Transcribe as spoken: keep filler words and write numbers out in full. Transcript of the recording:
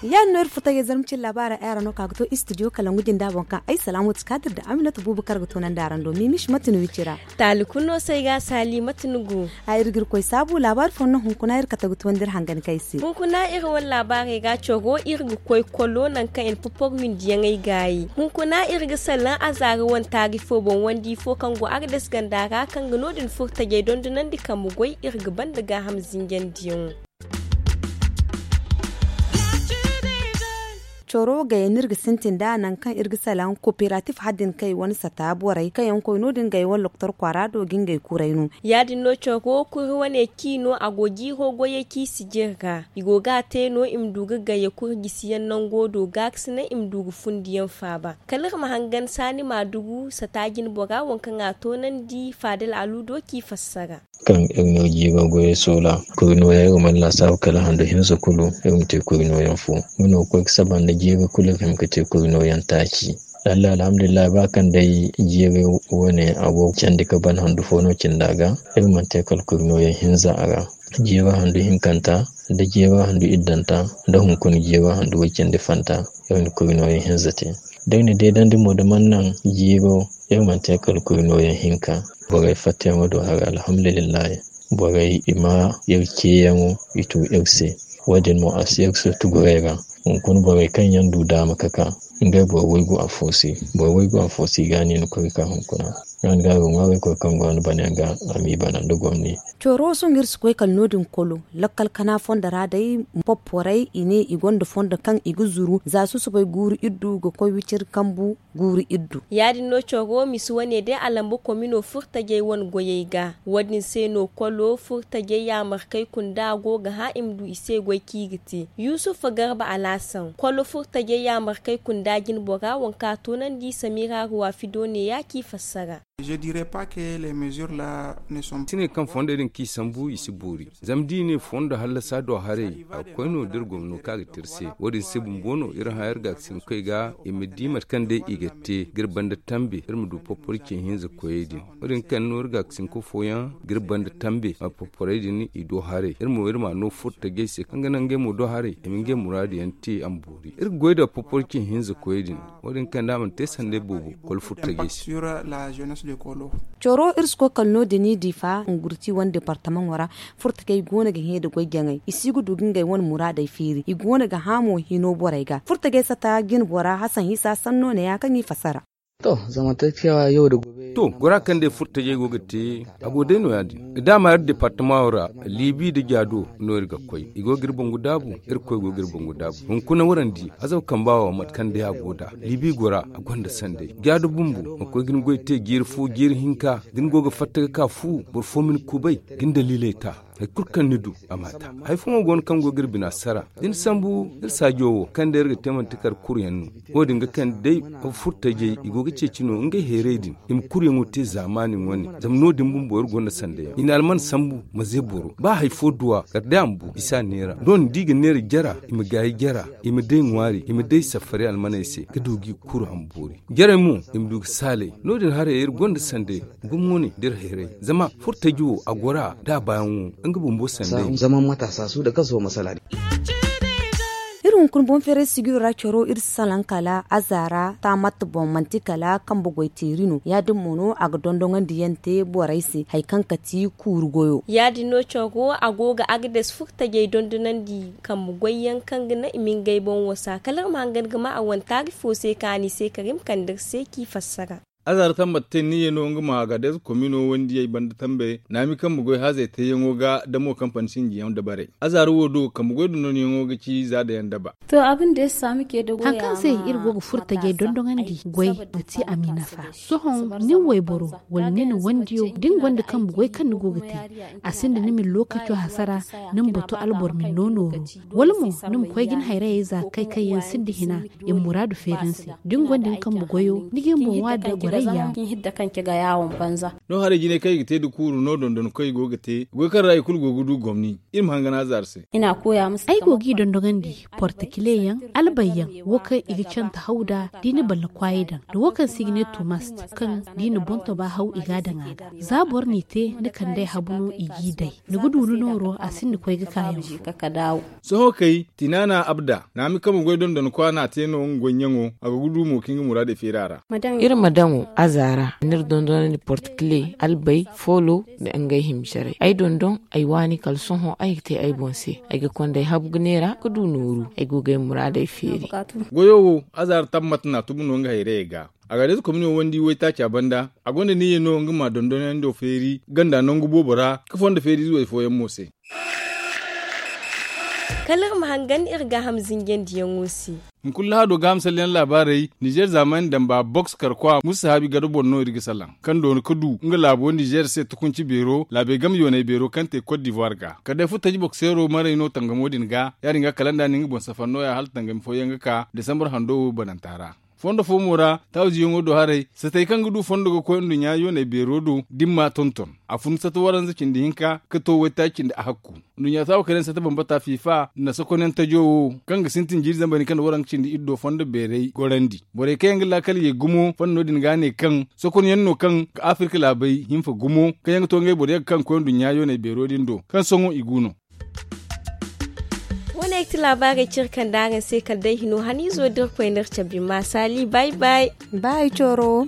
Ya- din no iri furtajey zarma cine laabaarey ay ra no ka ga to istidiyo kalangu jinda boŋ kaŋ ay salaamo ti kaadir nda aminatu buubu kaŋ ga toonandi araŋ do miimish mate no iri ci ra. Taali kulu no se ay ga a saali mate ni go? Ay iri ga iri koy saabu laabaari fooyaŋ no hunkuna iri kate ga toonandi iri hangan kaŋ ay se. Hunkuna iri wane laabaarey ga coro iri ga koy kolo nangu kaŋ i na popor windiyaŋey gaayi. Hunkuna iri ga salaŋ azaara wane taari fo boŋ wandi fo kaŋ go agades ganda ra kaŋ ga no- din furtajey dondonandi kambe goy iri ga banda gaaham zinjandiyaŋo. Coro gayey no iri ga sintin nd'a nangu kaŋ iri ga salaŋ kooperatif haddin kay wane sata borey kaŋ yaŋ koy no- din gay wane loktor kwaara do ga ngey kuray no. Ya- din no coro kuri wane ci no a go jiiro goyey ci sijir ra i go ga a te no i ma du ga gaye kuri gisiyaŋ nango do gaakasinay i ma du ga fundiyaŋ faaba. Kala iri ma hangan saani maadugu sata jinbora waŋ kaŋ a toonandi faadal aluudo ci fassara. Kaŋ iri no jiiba goyey soola kuri nooya iri mana laasaabu kala handu hinza kulu iri ma te kuri nooyaŋ fo. Nga no ga koy ga saba nda jiiba kulu iri hima ga te kuri nooyaŋ taaci. Lalla alhamdulillahi ba kaŋ day jiiba wane a go ga candi ga ban handu fo no cindi a ga, iri mana te kala kuri nooyaŋ hinza a ra. Jiiba handu hinkanta nda jiiba handu iddanta nda hunkuna jiiba handu way cindi fanta iri na kuri nooyaŋ hinza te. Da iri na deedandi mo da mana naŋ jiiba iri mana te kala kuri nooyaŋ hinka. Borey fattayaŋo do hari alhamdulillahi. Borey i ma iri ceeyaŋo i tu iri se. Wo- din mo a si iri se tuguray ra. Hunkuna borey kaŋ yaŋ du daama ga ka ngey boro waygu afo se. Boro waygu afo se i ga a ne ni koy ga ka hunkuna. Yaŋ ga a ga ŋwaaray koy kaŋ go no bana yaŋ ga a m'i bana nda gomni. Coro sohõ iri si koy kala no- din kolo lakkal kana fondo ra day. Popporay i ne i gonda fondo kaŋ i ga zuru za susubay guuru iddu ga koy wiciri kambu guuru iddu. Ya- din no coro misi wane day a lamba komino furtajey wane goyey ga. Wo- din se no kolo furtajey yaamarkey kunda go ga hã i ma du i se goy kaŋ i ga te. Yusufa garba alaasan kolo furtajey yaamarkey kunda jinbora waŋ kaŋ a toonandi samira ruwafido neeya kaŋ i fassara. Sinay kaŋ fondey din kaŋ i sambu i si boori. Zama da i ne fondo hallasa do haray a ga koy no da iri gomno kaŋ a ga te iri se. Wo- din se bumbo no iri hã iri gaakasinkoy ga i ma di mate kaŋ day i ga te ga iri banda tambe iri ma du poporce hinza koyey din. Wo- din kaŋ no iri gaakasinko fooyaŋ ga iri banda tambe a poporey din i do haray iri mo iri m'a no furtajey se kaŋ ga naŋ ngey mo do haray i ma ngey muraadu yaŋ te a ma boori. Iri ga goy nda poporce hinza koyey din. Wo- din kaŋ da a mana te sanday boobo kolo furtajey se. Coro iri si koy kala no- din i diifa ngurti wane departamaŋo ra. Furtajey go no ga hẽ nda goy jaŋay i si ga du ga ngey wane muraadey feeri i go no ga hã mo hino borey ga furtajey sata jinbora hasan isa sanno neeya kaŋ i fassara. To, gora kaŋ day furtajey go ga te a go day no ya- din. Daama iri departamaŋo ra liibi nda jaado no iri ga koy i go ga iri bangu daabu. Irkoy go ga iri bangu daabu hunkuna warandi azaba kamba wo mate kaŋ day a go nd'a liibi gora a gonda sanday jaado bumbo ma koy ga ni goy te jiiri fo jiiri hinka da ni go ga fatta ga ka fu boro fo ma ni kubay ga ni daliiley ta. Hari kulu kaŋ ni du a m'a ta. Hari fooyaŋ go no kaŋ go ga iri bina sara da ni sambu iri saajo wo kaŋ day iri ga te manti kar kuru yaŋ no. Wo- din ga kande day furtajey i go ga ceeci no ngey heeray din i ma kuruyaŋo te zaamaani wane. Zama no- din bumbo iri gonda sanda yaŋ i na alman sambu ma ze boro ba hari fo duwa kala day a ma bu i si a neera doŋ da i ga neera jara i ma gaayi jara i ma day ŋwaari i ma day safari almaney se ga du g'i kuru a ma boori. Jarey mo i ma du ga saalay. No- din haray iri gonda sanda yaŋ gumo wane da iri heeray zama furtaji wo a goro a da a baayaŋo nga bumbo sanda yaŋ. Iri hunkuna boŋ feeray sijiro ra caro iri si salaŋ kala azaara taamat boŋ manti kala kambe goy teeri no ya- din mo no a ga dondoŋandi yaŋ te borey se hari kaŋ kati kuuru goyo. Ya- din no caro a go ga agades furtajey dondonandi kambe goy yaŋ kaŋ ga naŋ i ma ngey boŋ wasa kala iri ma hangan ga ma a wane taari fo se kaŋ a n'i se kala iri ma kande iri se kaŋ i fassara. Azaara tambat te niyyey no nga ma agades komino wandiyey banda tambe naami kambe goy hazey teeyaŋo ga damo kampani sinjiyaŋ dabarey. Azaara wo do kambe goy dondonyaŋo ga ci za dayaŋ daba. Haŋ kaŋ se iri go ga furo tajey dondoŋandi goy ga ti a m'i nafa. Sohõ nin wayboro wala nin wandiyo da ni gonda kambe goy kaŋ ni go ga te, a sinda ni ma ni lookaco hasara, ni ma bato alboro ma ni no nooru, wala mo ni ma koy ga ni hayrayey za kay kaŋ yaŋ sinda hina i ma muraadu feeri ni se. Da ni gonda ni kambe goyo ni ga ni boŋ waada. Zama kaŋ ci ga yaawon banza. No haray jinay kaŋ i ga te nda kuuru no dondon koy go ga te goy kaŋ ra i kulu go ga du gomni. Iri ma hangan azaar se. Ay go g'i dondonandi portikile yaŋ, albay yaŋ, wo kaŋ i ga canta haw nd'a da i na balla kwaayey daŋ, da wo kaŋ se i ga ne tuumast, kaŋ da i na boŋ toba haw i g'a daŋ a ga. Za boro n'i te ni kand'ey habu no i g'i day. Ni ga du ni nooro a sinda koy ga kaayaŋ. Sohõ kay, tinaana abda naami kaŋ ma goy dondon kwa n'a te no nga goy ɲaŋo a ga gudu mo ka nga muraadey feeri a ra. Iri ma daŋo aza ra, n'iri dondonandi portikile, albay, foolo, nda ngey himmisaray ay dondon. Ay waani kala sohõ ay ga te ay boŋ se. Ay ga konda ay habu ga neera ga du nooru ay go ga ay muraadey feeri. Goyo wo aza ra tammat n'a tubu no nga hayrayey ga. Agaadez komino wandi waytaaca banda a gonda niyyey no nga ma dondonando feeri ganda nangu boobo ra, ka fondo feeriize way fooyaŋ mo se. Kala iri ma hangan iri gaaham zinjandiyaŋo se. Hunkuna lahado gaaham salleyaŋ laabaarey, nizeer zaamaani damba boks karkwa musa sahaabi gada boŋ no iri ga salaŋ, kaŋ doona ka du nga laabo nizeer se tukunci beero laabey game yoonay beero kaŋ te kot divuwar ga kala day furtaji bokseero maray no tangamo din ga. Ya-din ga kala nda na nga boŋ safar nooya hala tangami fooyaŋ ga ka desambar hando wo bananta ra. Fondo fo mo ra taaziyaŋo do haray satey kaŋ ga du fondo ga koy nduɲɲa yooney beero do da ni m'a tonton. A fun satta waranza cindi hinka ka to waytaaci cindi ahakku. Nduɲɲa taawo kayna satta bambata fiifa nda sokonyaŋ tajo wo, kaŋ ga sintin jiiri zambar hinka nda waranka cindi iddo fondo beerey gorandi. Borey kaŋ yaŋ ga laakal ye gumo fondo no-din ga ne kaŋ sokonyaŋ no kaŋ ga afirka laabey hinfa gumo, kaŋ yaŋ ga to ngey boro yagga kaŋ ga koy nduɲɲa yooney beero din do kaŋ sohõ i gu no. Wo- ne ga ti laabaarey kaŋ iri kande araŋ se kala day hino haniizo da iri koy no iri cabe ma saali bay bay. Ba ay coro.